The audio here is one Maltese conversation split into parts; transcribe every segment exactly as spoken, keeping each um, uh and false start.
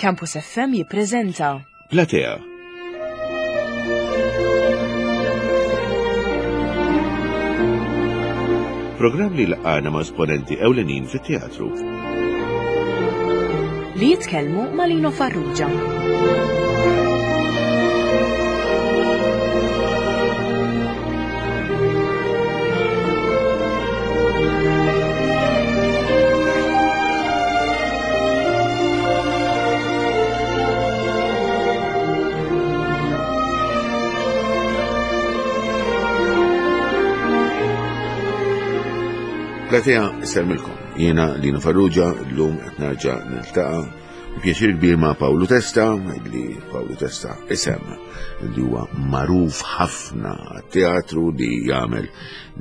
Campus F M jippreżenta Platea. Programm li laqgħana ma' esponenti ewlenin fit-teatru. Li jitkellmu ma' Lino Farrugia. Platea sellmilkom. Jiena Lino Farrugia, llum qed nerġa' niltaqa' b'pjaċir kbir ma' Pawlu Testa, li Pawlu Testa isem li huwa magħruf ħafna għat-teatru li jagħmel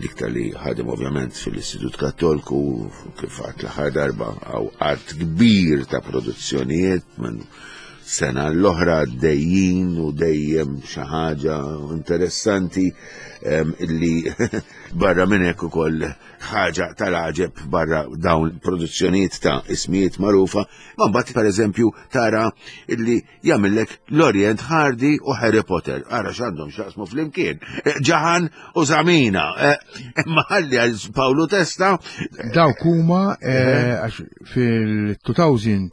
dik li ħadem ovvjament fil-Istitut Kattolku, kif għad l-aħħar darba għaw għadd kbir ta' produzzjonijiet minn sena l-oħra dejjin u dejjem xi ħaġa interessanti illi barra minn hekk ukoll ħaġa tal-għaġeb barra dawn produzzjonijiet ta' ismijiet magħrufa, ma mbagħad pereżempju tara illi jagħmellek Laurel Hardy u Harry Potter. Ara x'għandhom x'jaqsmu flimkien. Ġaħan u Zamina. Imma ħalli għal Pawlu Testa. Dawk huma għax fil-two thousand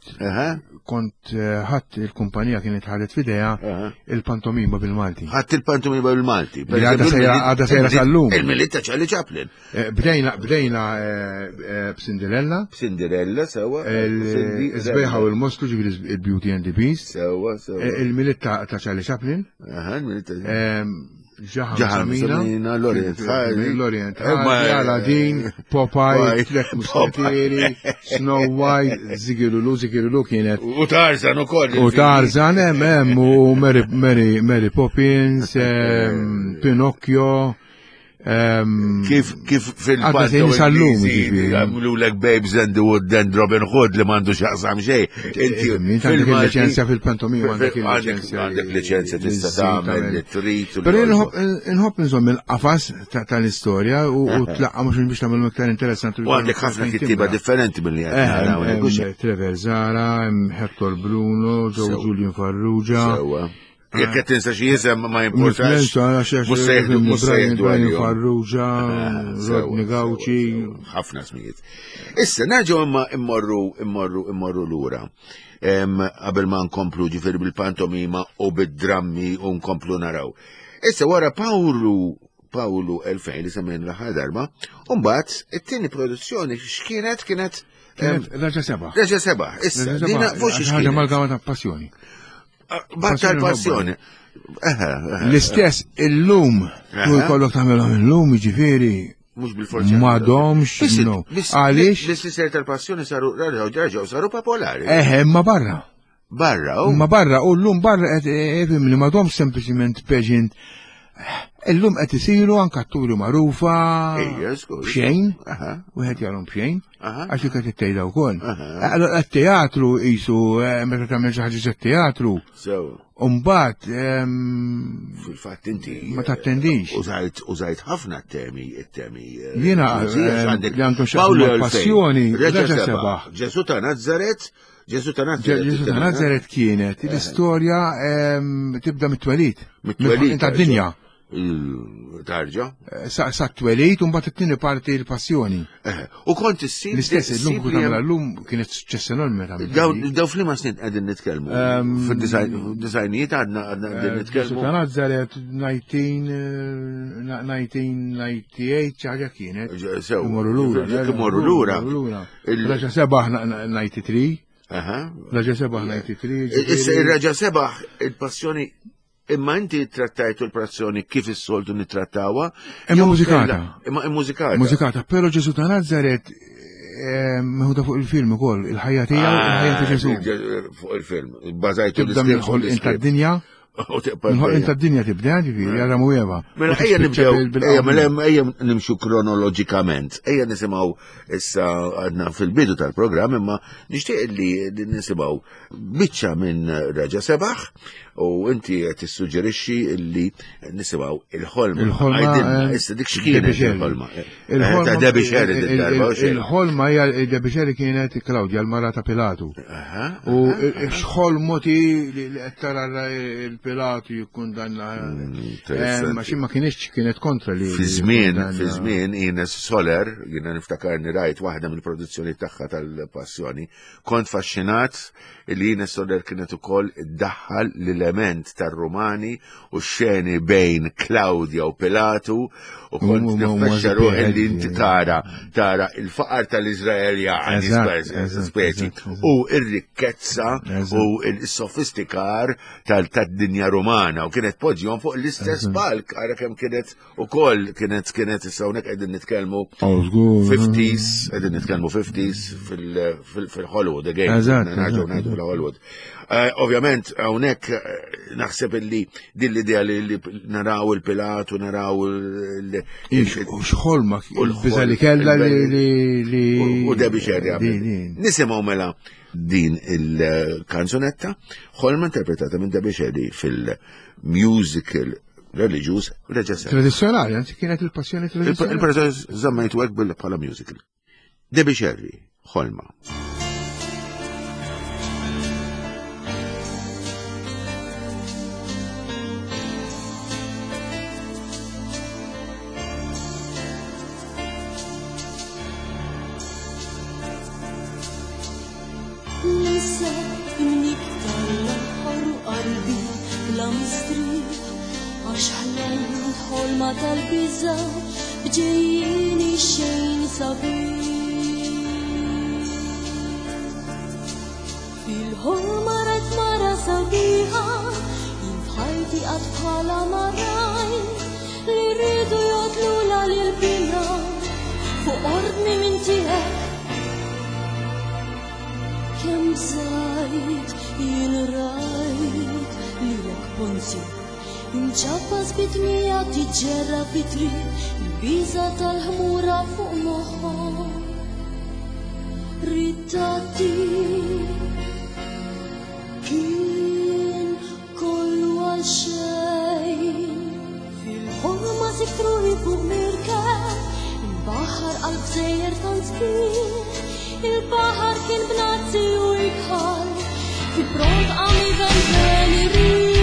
kont ħadd il-kumpanija kienet ħadet f'idejha il-pantomima bil-Malti. Ħadd il-pantomima bil-Malti. Għadha sejra sal-lum. Il-Milied ta' Charlie Chaplin. Bdejna bdejna b'Cinderella. B'Cinderella sewwa. Iż-Sbejħa u l-Mostru, ġifieri il-Beauty and the Beast. Sewwa, sewwa. Il-Milied ta' Charlie Chaplin. Aha, il-Milied ta' Ġaħan Samina, Laurel Hardy, Laurel Hardy, Aladdin, Popeye, Tliet Musketieri, Snow White, Zigirulu, Zigirulu kienet. U Tarzan ukoll. U Tarzan, hemm hemm u Mary Mary Mary Poppins, Pinocchio. Kif kif fil-pantomima jagħmlulek Babes and the Wood and Robin Hood li m'għandu x'jaqsam xejn. Inti għandek il-liċenzja fil-pantomima, għandek il-liċenzja. Għandek liċenzja tista' tagħmel li trid. Però inħobb inżomm il-qafas tal-istorja u tlaqqa mhux biex tagħmel iktar interessanti. U għandek ħafna kittieba differenti milli qed naraw. Trevor Zara, Hector Bruno, Joe Julian Farrugia. Sewwa. Jekk qed tinsa xi isem ma jimportax. Mhux se jieħdu mhux se jieħdu Farrugia, Rodney Gauci, ħafna smijiet. Issa nerġgħu imma immorru immorru immorru lura. Qabel ma nkomplu ġifieri bil-pantomima u bid-drammi u nkomplu naraw. Issa wara Pawlu Pawlu elfejn li semmejna l-aħħar darba, u mbagħad it-tieni produzzjoni x'kienet kienet Raġa Seba'. Raġa Seba'. Issa dina fuq xi ħaġa amalgama ta' passjoni. Batta l-passjoni. L-istess illum, tu jkollok tagħmelhom illum, jiġifieri. Mhux bil-forza. M'għadhomx, no. Għaliex? L-istess tal-passjoni saru raġgħu saru popolari. Eħe, imma barra. Barra, u. Imma barra, u llum barra qed ifhimni m'għadhomx sempliċiment pageant. Illum qed isiru anke atturi magħrufa. B'xejn. Wieħed jarhom b'xejn. Għax dik qed ittejda wkoll. Allora t-teatru qisu meta tagħmel xi ħaġa teatru. Sew. U mbagħad fil-fatt inti ma tattendix. Użajt użajt ħafna temi it-temi. Jiena li għandhom xi passjoni. Reġa' Sebaħ. Ġesù ta' Nazaret. Ġesù ta' Nazaret. Ġesù ta' Nazaret kienet l-istorja tibda mit-twelid. Mit-twelid tad-dinja. Tarġa. Sa t-twelid u mbagħad it-tieni parti l-passjoni. U kont issib. L-istess illum kont tagħmilha llum kienet suċċess enormi tagħmel. Daw f'liema snin qegħdin nitkellmu. Fid-disajnijiet għadna qegħdin nitkellmu. Ġesù ta' Nazaret nineteen ninety-eight xi ħaġa kienet. Sew. Imorru lura. Imorru lura. Raġa Sebaħ ninety-three. Raġa Sebaħ ninety-three. Issa ir-Raġa Sebaħ il-passjoni. Imma inti trattajtu l-passjoni kif is-soltu nittrattawha? Imma mużikata. Imma mużikata. Mużikata, però Ġesù ta' Nazaret meħuda fuq il-film ukoll, il-ħajja tiegħu, il-ħajja ta' Ġesù. Fuq il-film, bażajtu tibda mill-ħolqien tad-dinja. Mill-ħolqien tad-dinja tibda, ġifieri, Adam u Eva. Mela ejja nibdew, ejja mela ejja nimxu kronoloġikament. Ejja nisimgħu issa għadna fil-bidu tal-programm, imma nixtieq li nisimgħu biċċa minn Raġa Sebaħ. U inti qed tissuġġerixxi li nisimgħu il-ħolma. Il-ħolma, Għidilna, eh, issa dik x'kienet Debbie Scerri. il-ħolma? Eh, Ta' Debbie Scerri il- d-darba, u il- xejn. Il-ħolma hija Debbie Scerri kienet Claudia, l-mara ta' Pilatu. Aha, U xħolmoti li li qed tara il-Pilatu jikkundanna. Interessanti. Ma xi ma kienx kienet kontra li. Fi żmien, jikkundanna. fi żmien Ines Soler, jiena niftakarni rajt waħda mill-produzzjoni tagħha tal-Passjoni, kont faxxinat li Ines Soler kienet ukoll iddaħħal l-element tar-Rumani u x-xeni bejn Claudia u Pilatu u kont U- u- u- niffaxxa ruħi li inti eh. tara tara il-faqar tal-Iżraeljani Eżatt, speċi eżatt, speċi eżatt, eżatt. u r-rikkezza Eżatt. u l-sofistikar tal-dinja romana u kienet poġġihom fuq l-istess palk ara kemm kienet ukoll kienet kienet issa hawnhekk qegħdin nitkellmu Oh, żgur. fifties, qegħdin nitkellmu fifties fil- fil- fil-Hollywood again. Eżatt, Nerġgħu eżatt, ngħidu fil-Hollywood. Eh, Ovvjament hawnhekk eh, naħseb illi din l-idea li li naraw il-Pilatu, naraw il- Ix- U xħolma, U l-ħolma, il-biża li kellha li li li. u Debbie Scerri Din, għamlet. din. Nisimgħu mela din il-kanzunetta, ħolma interpretata minn Debbie Scerri fil-musical reliġjuż Reġa Serra. Tradizzjonali, anzi kienet il-passjoni tradizzjonali. Il-preżenz żammejtu hekk bil bħala musical. Debbie Scerri, ħolma. Ninsa imnik tal-aħħar u qalbi bla mistrieħ għax ħlamt ħolma tal-biża' bġejjieni xejn sabiħ. Fil-ħolma rajt mara sabiħa, jien f'ħajti qatt bħala ma rajt, li rridu jotlula lil bina fuq ordni minn tiegħek. Kemm bżajt jien rajt lilek Ponzju imċappas bit-tmija tiġġerra fit-triq il-biża tal-ħmura fuq moħħok. Ritatti kien kollu għal xejn. Fil-ħolma sibt ruħi fuq mirkeb, il-baħar qalb sejjer tant sbieħ, il-baħar kien bnazzi u ikħal, fil-pront qam ivenven ir-riħ.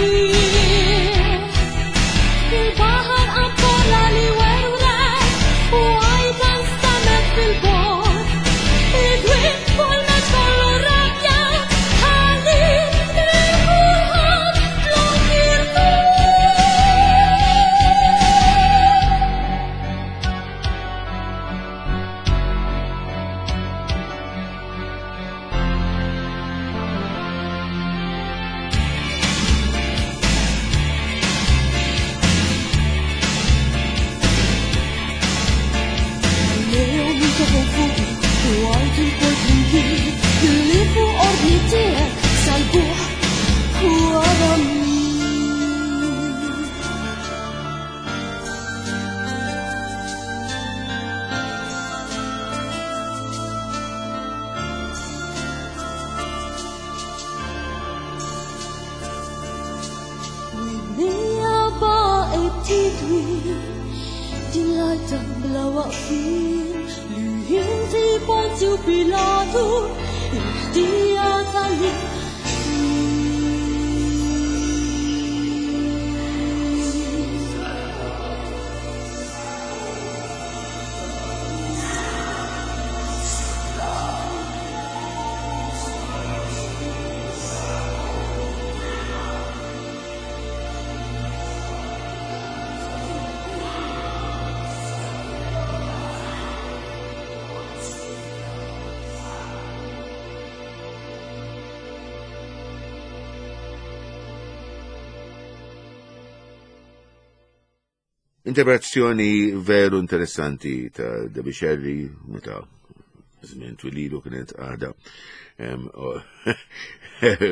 Il-baħar qam kollha li werwret u għajta nstamet fil-bogħod. Id-dwiet fuq il-mezz kollu rabja, ħalli lil kulħadd flok jirtuf. Lejhom intefgħu fuqi u għajtu lkoll flimkien li fuq ordni tiegħek salbuh u għara min. Widnija baqgħet tidwi din l-għajta bla waqfien li inti Ponzju Pilatu il-ħtija tal-li Interpretazzjoni veru interessanti ta' Debbie Scerri, meta żmien twililu kienet għada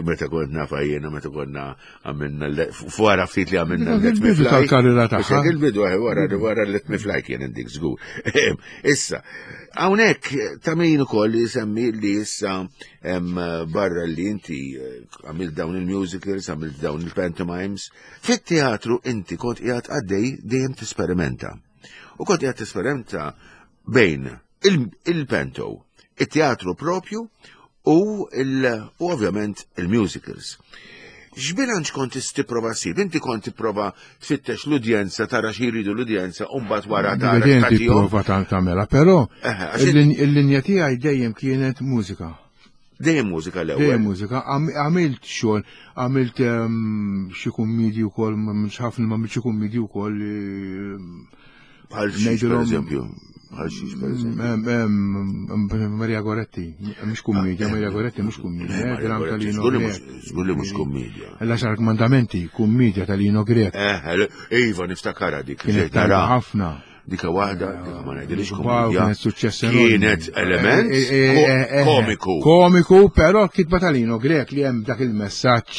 meta kont nafa jiena meta konna għamilna wara ftit li għamilna Let Me Fly. Tal-karriera tagħha. Il-bidu eh, wara wara Let Me Fly kien dik żgur. Issa, hawnhekk ta' min ukoll jisemmi li issa barra li inti eh, għamilt dawn il-musicals, għamilt dawn il-pantomimes, fit-teatru inti kont qiegħed għaddej dejjem tisperimenta. U kont qiegħed tisperimenta bejn il-panto, il-teatru propju u ovvjament il-musicals. X'bilanċ kont tipprova ssib? Inti kont tipprova tfittex l-udjenza, tara xi jridu l-udjenza u mbagħad wara tara. Inti tipprova tagħmela, però il-linja tiegħi dejjem kienet mużika. Dejjem mużika l-ewwel. Dejjem mużika. Għamilt xogħol, għamilt xi kummedji wkoll, mhux ħafna ma xi kummedji wkoll. Bħal xi pereżempju. Maria Goretti, mhux kummedja, Maria Goretti mhux kummedja, dram ta' Lino Grek. Żgur li mhux kummedja. L-għaxar kmandamenti, kummedja ta' Lino Grek. Iva, niftakarha dik. Kienet tajba ħafna. Dika waħda, dika ma ngħidilix kummedja. Kienet suċċess enormi. Kienet element komiku. Komiku, però kitba ta' Lino Grek li hemm dak il-messaġġ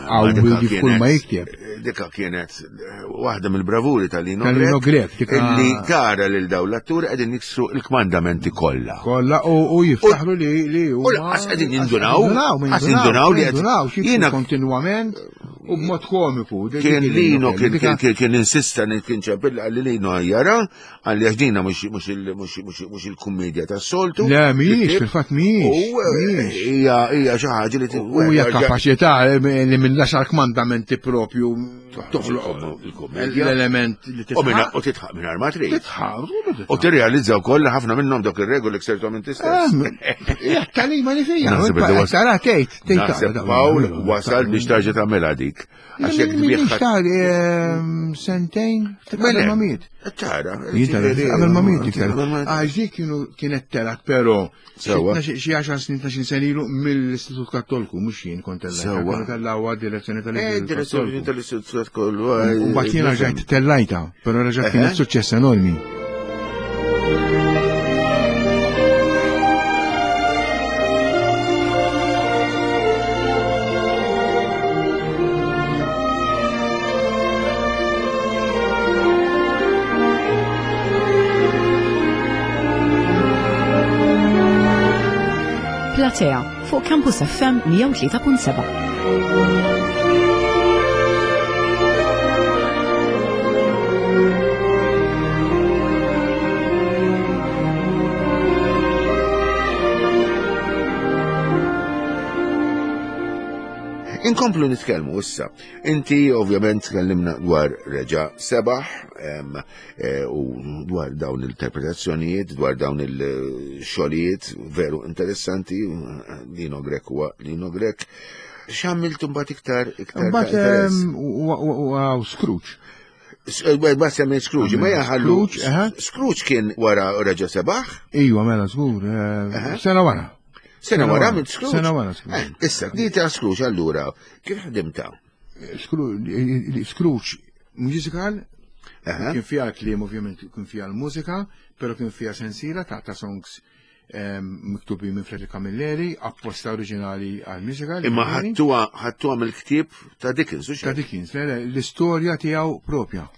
qawwi kull ma jikteb. Dika kienet waħda mill-bravuri tal-Lino Grek. Grek. Illi tara lil dawn l-atturi qegħdin jiksru l-kmandamenti kollha. Kollha u jiftaħru li li U lanqas qegħdin jindunaw, qas jindunaw li qed jiena kontinwament u b'mod komiku. Kien Lino kien kien insista kien ċempilla li Lino jara għalli għax dina mhux il-kummedja tas-soltu. Le mhijiex, fil-fatt mhijiex. U hija hija xi ħaġa li U hija kapaċità li minn l-għaxar kmandamenti propju toħloq l-element li titħaq. U titħaq minn ma trid. Titħaq. U tirrealizza wkoll li ħafna minnhom dawk ir-regoli ksirthom inti stess. Hija talima li fija. Tara tgħid, tgħid. Pawl wasal biex tarġa' tagħmilha dik. Għax jekk tbieħ. Sentejn, qabel ma miet. Tara. Qabel ma miet iktar. Għax dik kienu kienet telat però xi għaxar snin ta' xi snin ilu mill-Istitut Kattolku, mhux jien kont tellajt. Sewwa. Tellgħuha direzzjoni tal-Istitut Direzzjoni tal-Istitut Kattolku. U mbagħad jiena rġajt tellajta, però reġgħet kienet suċċess enormi. Platea fuq Campus F M mija u tlieta punt seba'. Inkomplu nitkellmu issa. Inti ovvjament tkellimna dwar Reġa Sebaħ u dwar dawn l-interpretazzjonijiet, dwar dawn il-xogħlijiet veru interessanti, Lino Grek huwa Lino Grek. X'għamilt imbagħad iktar iktar? Imbagħad Scrooge. Bas jagħmel Scrooge, ma jaħallu. Scrooge kien wara Reġa Sebaħ? Iva, mela żgur, sena wara. Sena wara minn Scrooge. Sena wara Scrooge. Issa, di ta' Scrooge allura, kif ħdimta? Scrooge musical, kien fiha kliem ovvjament kien fiha l-mużika, però kien fiha sensiela ta' ta' songs miktubi minn Frederick Camilleri, apposta oriġinali għal musical. Imma ħattuha ħattuha mill-ktieb ta' Dickens, u Ta' Dickens, l-istorja tiegħu propja.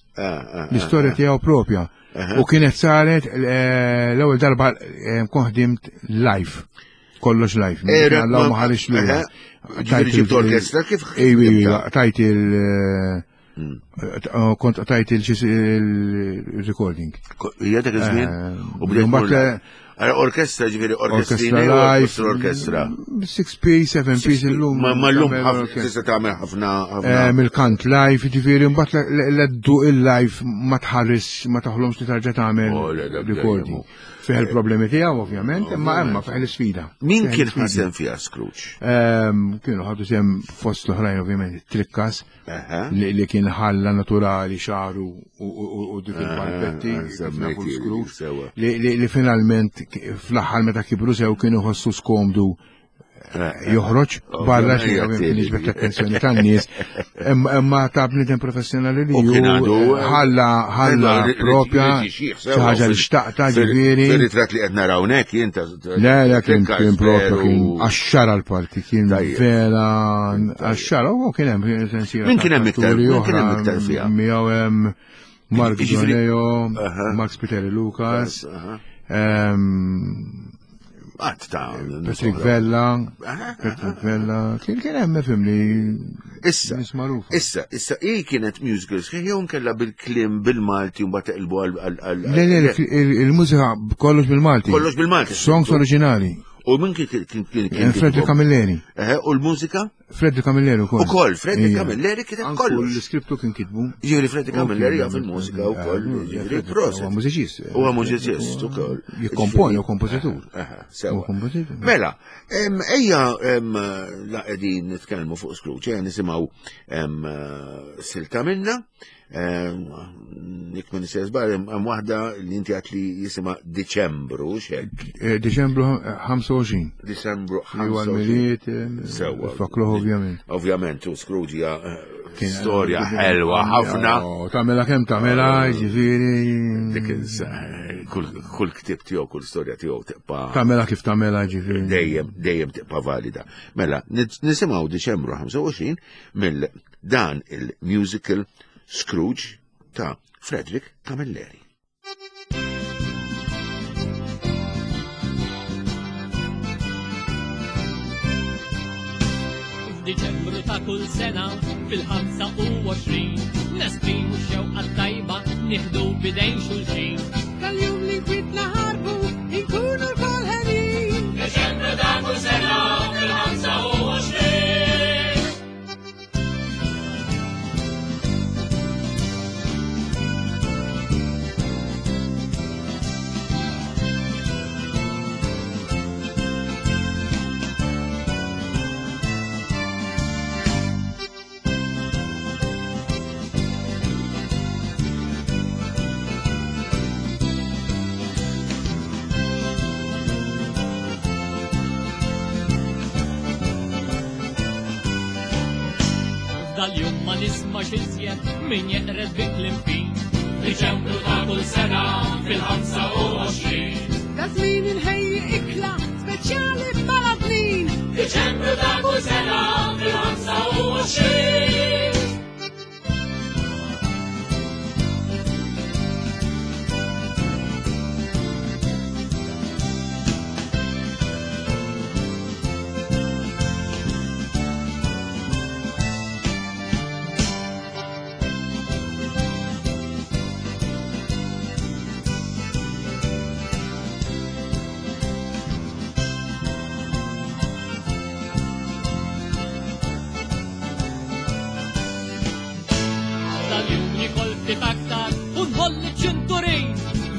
L-istorja tiegħu propja. U kienet saret l-ewwel darba kont ħdimt live. Kollox live. Alla ma ħareġ lura. Ġibt orkestra kif? Ejwa, tajt il kont tajt il-recording. Hija dak iż-żmien? U bdejt orkestra ġifieri orkestra live, orkestra. six P, seven P illum. Ma llum tista' tagħmel ħafna ħafna. Mill-kant live, ġifieri mbagħad l-eddu il-live ma tħares ma taħlomx li tarġa' tagħmel recording. Fih il-problemi tiegħu ovvjament, imma imma fih l-isfida. Min kien ħasem fiha Scrooge? Kienu ħadu sem fost l-oħrajn ovvjament Trikkas li kien ħalla naturali xaru u dik il-palpetti Scrooge li finalment fl-aħħar meta kibru sew kienu ħossu skomdu joħroġ barra xi jiġbed l-attenzjoni tan-nies. Imma ta' bniedem professjonali li ħalla ħalla propja xi ħaġa li xtaqta ġifieri. Fir-ritratt li qed naraw hawnhekk jien ta' Le, le kien kien propja kien għaxxara l-parti, kien vera għaxxara u kien hemm sensiela. Min kien hemm iktar? Min kien hemm iktar fiha? Miegħu hemm Mark Zoneo, Mark Spiteri Lucas, Għat ta' Patrick Vella, Patrick Vella, kien kien hemm fimni. Issa, issa, issa, hi kienet musical sħiħ jew nkella bil-kliem bil-Malti u mbagħad teqilbu għal. Le, le, il-mużika kollox bil-Malti. Kollox bil-Malti. Songs oriġinali. U minn kien kien kien Frederick Camilleri. U l-mużika? Frederick Camilleri ukoll. Ukoll, Frederick Camilleri kiteb kollox. L-iskriptu kien kitbu. Ġifieri Frederick Camilleri jaf il-mużika wkoll, ġifieri proset. Huwa mużiċist. Huwa mużiċist ukoll. Jikkomponi u kompożitur. Sewa. Mela, ejja la qegħdin nitkellmu fuq Scrooge, ejja nisimgħu silta minna. Nik minn żbar hemm waħda li inti għat li jisimha Diċembru, x'hekk. Diċembru ħamsa u għoxrin. Diċembru ħamsa u għoxrin. Sewwa. Fakluh ovvjament. Ovvjament, u Scrooge hija storja ħelwa ħafna. Tagħmilha kemm tagħmilha, ġifieri. Dik kull ktieb tiegħu, kull storja tiegħu tibqa'. Tagħmilha kif tagħmilha, ġifieri. Dejjem, dejjem tibqa' valida. Mela, nisimgħu Diċembru ħamsa u għoxrin mill dan il-musical Scrooge ta' Frederick Camilleri. F'Diċembru ta' kull sena fil-ħamsa u għoxrin nesprimu x-xewqa tajba nieħdu bidejn xulxin. Tal-jum li nkwitna ħarbu inkunu lkoll ħenin. Diċembru ta' kull sena fil-ħamsa u għoxrin. Dal-jum ma nismax iżjed min jeqred bi kliem fin. Diċembru ta' kull sena fil-ħamsa u għoxrin. Da żmien inħejji ikla speċjali bħala bnin. Diċembru ta' kull sena fil-ħamsa u għoxrin.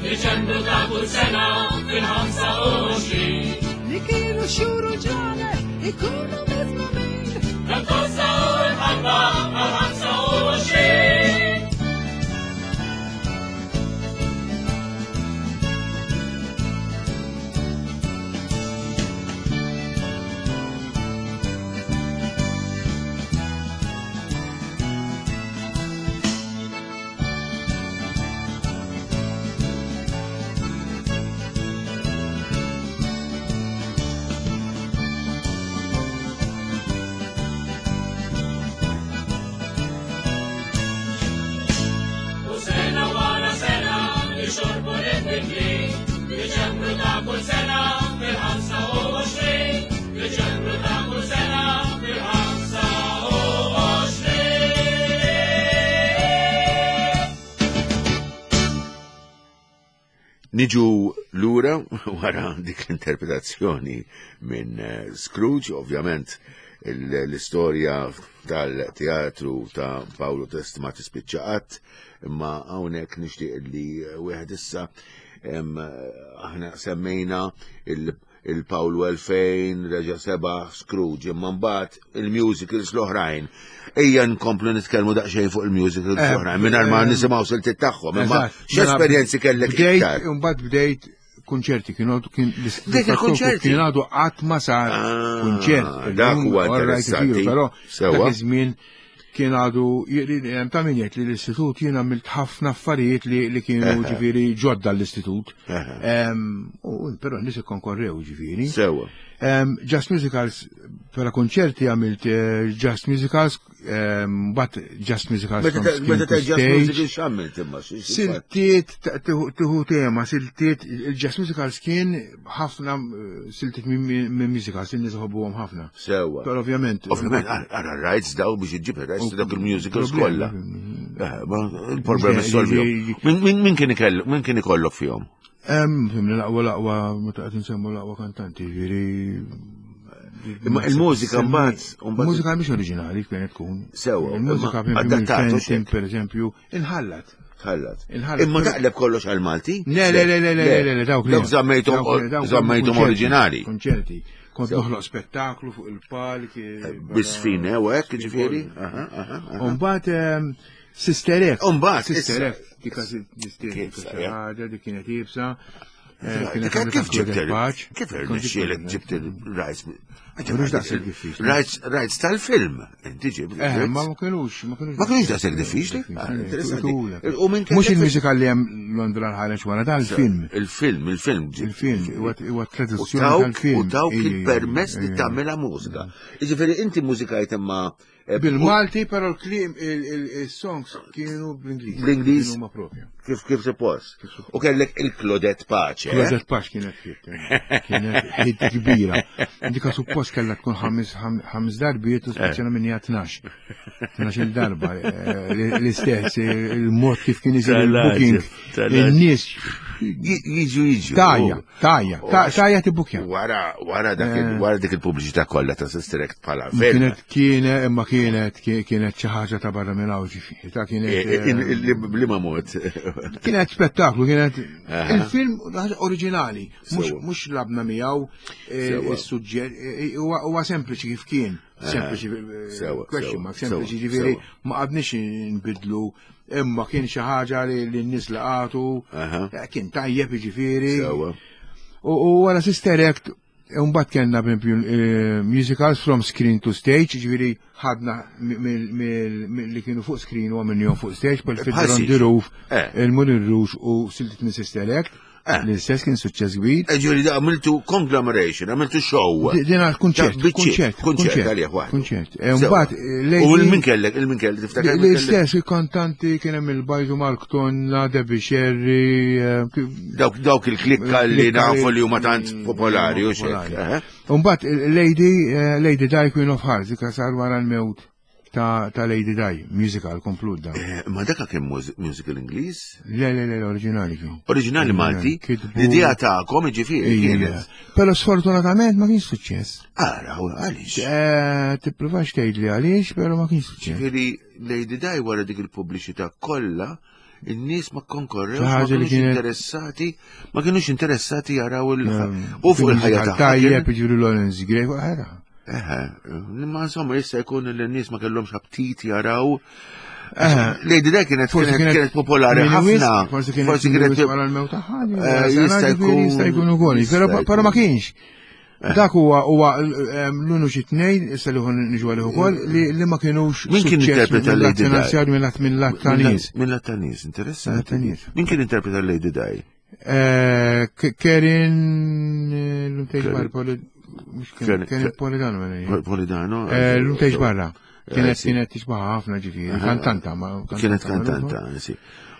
Diċembru ta' kull sena fil-ħamsa u għoxrin. Li kienu xhur u ġranet ikunu miżmumin. Tal-kosta u l-ħalba għal-ħamsa u għoxrin. Diċembru ta' kull sena fil-ħamsa u għoxrin. Diċembru ta' kull sena fil-ħamsa u għoxrin. Niġu lura wara dik l-interpretazzjoni minn Scrooge, ovvjament l-istorja tal-teatru ta' Paolo Test ma tispiċċa qatt, imma hawnhekk nixtieq li wieħed issa aħna semmejna il-Paolo elfejn, reġa' seba' Scrooge, imma mbagħad il-musicals l-oħrajn. Ejja nkomplu nitkellmu daqsxejn fuq il-musicals l-oħrajn mingħajr ma nisimgħu siltiet tagħhom, imma x'esperjenzi kellek iktar? Imbagħad bdejt Kunċerti kienu kien Dik il-kunċerti? Kien għadu qatt ma sar Ah, kunċert. dak Illum, huwa all right, interessanti. isiru, Però Sewwa. dak iż-żmien kien għadu hemm ta' min jgħid li l-istitut jien għamilt ħafna affarijiet li, li kienu ġifieri ġodda l-istitut. Eħe. Em, u Però n-nies ikkonkorrew ġifieri. Sewwa. Um, Just Musicals, pera konċerti għamilt eh, Just Musicals, um, but Just Musicals Meta from ta- screen meta to ta' Just stage. Music x'għamilt imma? xi- xi- Siltiet, ta- tiħu tiħu tema, siltiet, il-Just Musicals kien ħafna eh, siltiet minn minn musicals, il-nies iħobbuhom ħafna. Sewwa. Pero ovvjament. Ovvjament, ara ara rights daw biex iġġib rights ta' dawk il-musicals Problema. kollha. Eh, ma Il-problemi Ġi- solvihom. ġi- Min- Min min kien ikellu, min kien ikollok fihom? Em, fimni l-aqwa l-aqwa, meta qed nsemmu l-aqwa kantanti, ġifieri. Imma il-mużika mbagħad mbagħad- Mużika mhix oriġinali kienet tkun. Sewwa, Il-mużika imma adattatu xek. per eżempju, inħallat. Tħallat. Inħallat. Imma taqleb kollox għal-Malti? Le, le, le, le, le, le, le, dawk li. Dawk żammejthom Dawk li- dawk żammejthom konċerti, oriġinali. Konċerti. Kont noħloq spettaklu fuq il-palk. Bisfin, eh, u hekk, ġifieri? Aha, aha, aha. Umbat, Sister Act. Umbagħad, Sister issa- Act, dik Kif, dik ja. ħaġa, dik kienet ibsa. eh, kienet Kif għamlet kif anke ġibt Claudette Pace. Kif Kont irnexxielek ġibt ġibt il-rights? Mhux daqshekk diffiċli. Rights rights tal-film. Inti ġibt. Eh, ma ma kienux, ma kienux. Ma kienux daqshekk diffiċli? Ah, interessanti. U minn Mhux kellek- il-mużika li hemm Londra l-ħareġ wara dal-film. Il-film, il-film ġibt. Il-film, huwa huwa U traduzzjoni tawk, tal-film. u tawk Ejja, il-permess li ejja. tagħmilha mużika. Jiġifieri inti mużikajt imma eh, Bil-Malti, però l-klim, il-songs kienu bl-Ingliż. Bl-Ingliż? Kienu ma propju. kif kif suppost. U kellek il-Claudette Pace. eh? Claudette Pace kienet hit, kienet hit kbira. Dika suppost kellha tkun ħames ħames darbiet u speċjala minn hija tnax. Tnax il-darba eh, l-istess, eh, il-mod kif kien isir il-booking. Tal-għaġeb, Il-nies Ji- Jiġu jiġu. tajja, tajja, ta- tajja tibbukja. Wara wara dak il- Eh. wara dik il-pubbliċità kollha ta' Sister Act bħala film. Kienet kienet imma kienet kienet xi ħaġa ta' barra minn hawn ġifieri, ta' kienet Eh, eh, in- in- Li ma mod. Kienet spettaklu, kienet Aha. il-film ħaġa oriġinali, mhux Sewwa. mhux labna miegħu eh, Sewwa. is-suġġett eh, huwa huwa sempliċi kif kien, sempliċi eh, Sewwa, question sewwa, mark, sempliċi sewwa, ġifieri sewwa. ma qadniex nbidlu imma kien xi ħaġa li li n-nies laqatu, Aha. eh, kien tajjeb ġifieri. Sewwa. U u wara Sister Act, mbagħad kellna pereżempju eh, musicals from screen to stage, ġifieri ħadna mi- mill- mill- mill- li kienu fuq screen u għamilnihom fuq stage, bħal Bħal Fiddler on Siġ. the Roof, Eh. il-Moulin Rouge u Siltiet minn Sister Act, Eh. l-istess kien suċċess kbir. Eh, Ġifieri da għamiltu conglomeration, għamiltu show. Di- Dina kunċert, Ta' biċċiet, kunċert, kunċert għalih waħdu. kunċert. Eh, Sewwa. Mbagħad eh, U Lady- il-min kellek, il-min kellek, tiftakar min kellek? L-istess il-kantanti kien hemm il-Bajdu Mark Tonna, Debbie Sherry, eh, kif- Dawk dawk il-klikka li Klikka nafu li- li huma tant popolari u xek. popolari. eh? Umbat, Lady, eh, Lady Di Queen of Hearts, dika sar wara l-mewt ta', ta Lady Di, musical komplut da. Eh, Ma daka kien muż- musical Ingliż? Le, le, le, l-oriġinali kien. Oriġinali Malti, Kitbu- l-idea tagħkom ġifieri Ija. kienet. Pero sfortunatament ma kienx suċċess. Ara, u għaliex. Eh, Tippruvax tgħid li għaliex, pero ma kienx suċċess. Ġifieri Lady Di wara dik il-pubbliċità kollha, in-nies ma konkorrewx, Xi ma ħaġa li kienux kienet- interessati, ma kienux interessati jaraw il Ehm, u fuq il-ħajja Musical tagħha. Tajjeb, kien- ġifieri Lawrence Gray, ħera. Eħe, ma insomma jista' jkun li n-nies ma kellhomx aptit jaraw. Eh, Lady Di kienet Forsi kienet kienet popolari minn wisq, ħafna. Forsi kienet Forsi minn kienet wisq wara l-mewt tagħha. Eh, jista' jkun- Jista' jkun ukoll, jista' però però ma jkun. kienx. Dak huwa huwa ehm, l-unu xi tnejn, issa li ħon niġu għalih ukoll, li li ma kienux Min kien suċċess interpreta minn lat Lady Di? finanzjarju minn lat minn lat ta' nies. Minn lat ta' nies, interessanti. Lat ta' nies. Min kien interpreta Lady Di? Eh, K- Kerin eh, l-umtejx Kerin. barra, Poli- mhux Kerin- Kerin Kerin Polidano mela hija. Polidano? Eh, L-umtejx barra. Kienet Eh, sì. kienet tixbaħ ħafna ġifieri, kantanta ma Kienet kantanta, sì.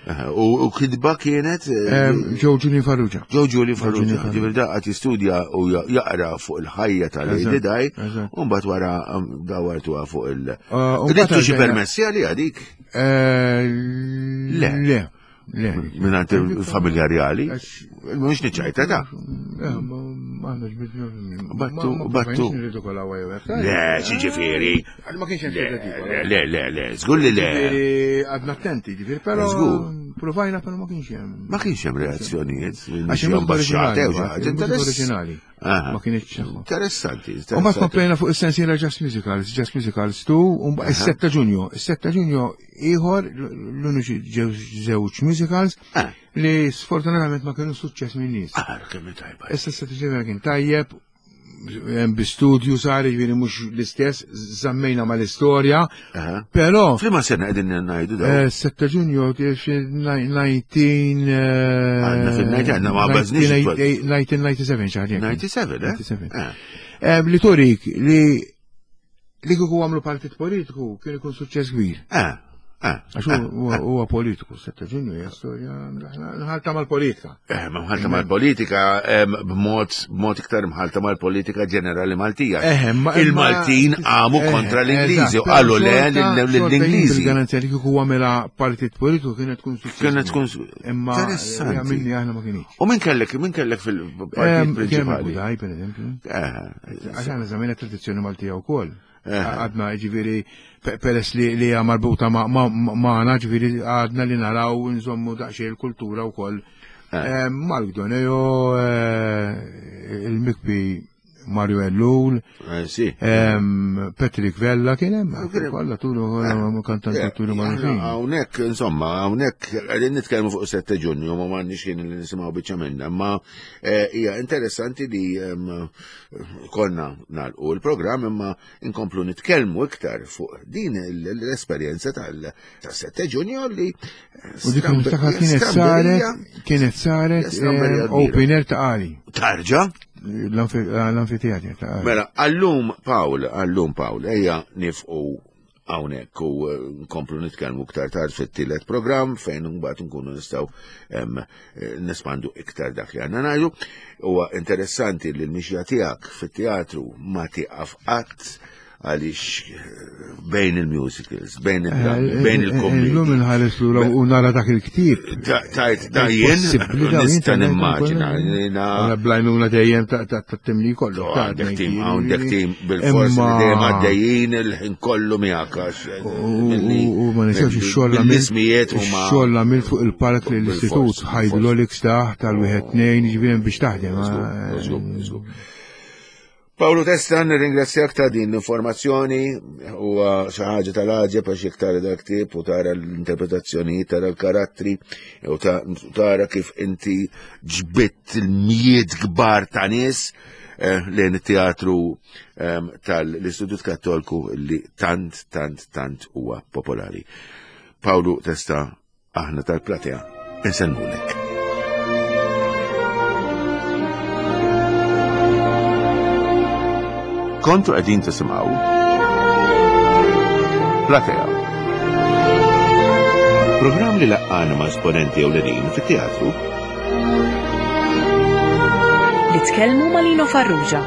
Eh, U u kidba kienet eh, Ehm, Joe Julian Farrugia. Joe Julie Farrugia, Julie Farrugia. ġifieri da qed jistudja u ja- jaqra fuq il-ħajja ta' Lady Eżatt, Di, eżatt. u mbagħad wara um, dawartuha fuq il- Eh, u mbagħad Ridtu xi għaddejna- permessi għalija dik Eh, Le. Le. Le. mingħand il-familja reali. Għax- Mhux niċċajta ta' Eh, ma ma għandna ġbidna. Battu- battu. Le, xi ġifieri. Ma kienx hemm Le, ridikolu. le, le, le, żgur li le. Ġifieri għadna attenti, ġifieri, però Żgur. provajna però ma kienx hemm. Ma kienx hemm reazzjonijiet minn Għax xi il-mużika ambaxxata oriġinali, jew xi ħaġa. il-mużika Interess- oriġinali. Ma kienx. Interessanti. U mbagħad komplejna fuq is-sensiela Just Musicals, Just Musicals two, u is-sitta ta' Ġunju. Is-sitta ta' Ġunju ieħor l-uniċi ġew żewġ musicals li sfortunatament ma kienu suċċess minn nies. Ah, kemm tajba. Issa s-sitta ta' Ġunju kien tajjeb, bi studju sar, jiġifieri mhux l-istess, żammejna mal-istorja, però F'liema sena qegħdin ngħidu dawn? Sitta Ġunju nineteen Għandna fil-nineteen, għandna ma bażniex. nineteen ninety-seven xi ħaġa. ninety-seven, eh? ninety-seven. Li turik li li kieku għamlu partit politiku kien ikun suċċess kbir. Eh, eh, Għax huwa politiku, sitta Ġunju hija storja mħalta mal-politika. Eh, ma mħalta mal-politika, b'mod b'mod iktar mħalta mal-politika ġenerali Maltija. Eh, ma Il-Maltin għamu kontra l-Ingliżi u qalu le lill-Ingliżi. Il-garanzija li kieku għamela partit politiku kienet tkun suċċess. Kienet tkun Imma interessanti. Minni aħna ma kienx. U min kellek, min kellek fil-partit Kien hemm prinċipali? Budaj, per eżempju. Eh, Għax aħna żammejna tradizzjoni Maltija wkoll. Għadna ġifieri peress li li hija marbuta magħna, ġifieri għadna li naraw nżommu daqsxejn il-kultura wkoll. Mark Doneo, il-Mikbi Mario Ellul, Patrick Vella kien hemm, kollha turu kantanti turu magħrufin. Hawnhekk, insomma, hawnhekk qegħdin nitkellmu fuq sette Ġunju, ma m'għandniex ħin li nisimgħu biċċa minnha, imma hija interessanti li konna nagħlqu l-programm imma inkomplu nitkellmu iktar fuq din l-esperjenza tal-sette Ġunju li U dik niftakar kienet saret, kienet saret open air ta' Qali. Tarġa? L-anfiteatri ta' Qali. Mela, għallum Pawl, għallum Pawl, ejja nifqu hawnhekk u nkomplu nitkellmu iktar tard fit-tielet programm fejn mbagħad nkunu nistgħu nespandu iktar dak li għandna ngħidu. Huwa interessanti li l-mixja tiegħek fit-teatru ma tieqaf qatt għaliex bejn il-musicals, bejn il-drammi, bejn il-kommedji. Illum inħares lura u nara dak il-ktieb. Tajt, da jien nista' nimmaġina. Għana blajnuna dejjem ta' timli kollu. Għandek tim, għandek tim bil-fors li dejjem għaddejjin il-ħin kollu miegħek għax U ma ninsewx ix-xogħol l-ismijiet huma Ix-xogħol għamil fuq il-park l-istitut, hydraulics taħt tal-wieħed tnejn, jiġifieri biex taħdem. Żgur, żgur. Pawlu Testa, nirringrazzjak ta' din l-informazzjoni, huwa xi ħaġa tal-għaġeb għax jekk tara dak ktieb u tara l-interpretazzjonijiet, tara l-karattri, u tara kif inti ġbitt il-mijiet kbar ta' nies lejn it-teatru tal-Istitut Kattolku li tant, tant, tant huwa popolari. Pawlu Testa, aħna tal-platea, insellmulek. Kontu qegħdin tisimgħu Platea. Programm li laqqana ma' esponenti ewlenin fit-teatru li tkellmu ma' Lino Farrugia.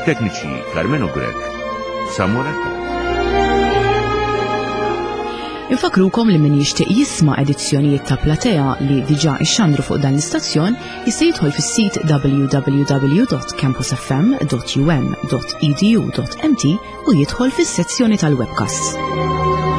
Tekniċi Carmelo Grech, Samuel Attard. Infakrukom li min jixtieq jisma' edizzjonijiet ta' Platea li diġà ixxandru fuq dan l-istazzjon jista' jidħol fis-sit w w w dot campus f m dot u m dot e d u dot m t u jidħol fis-sezzjoni tal-webcasts.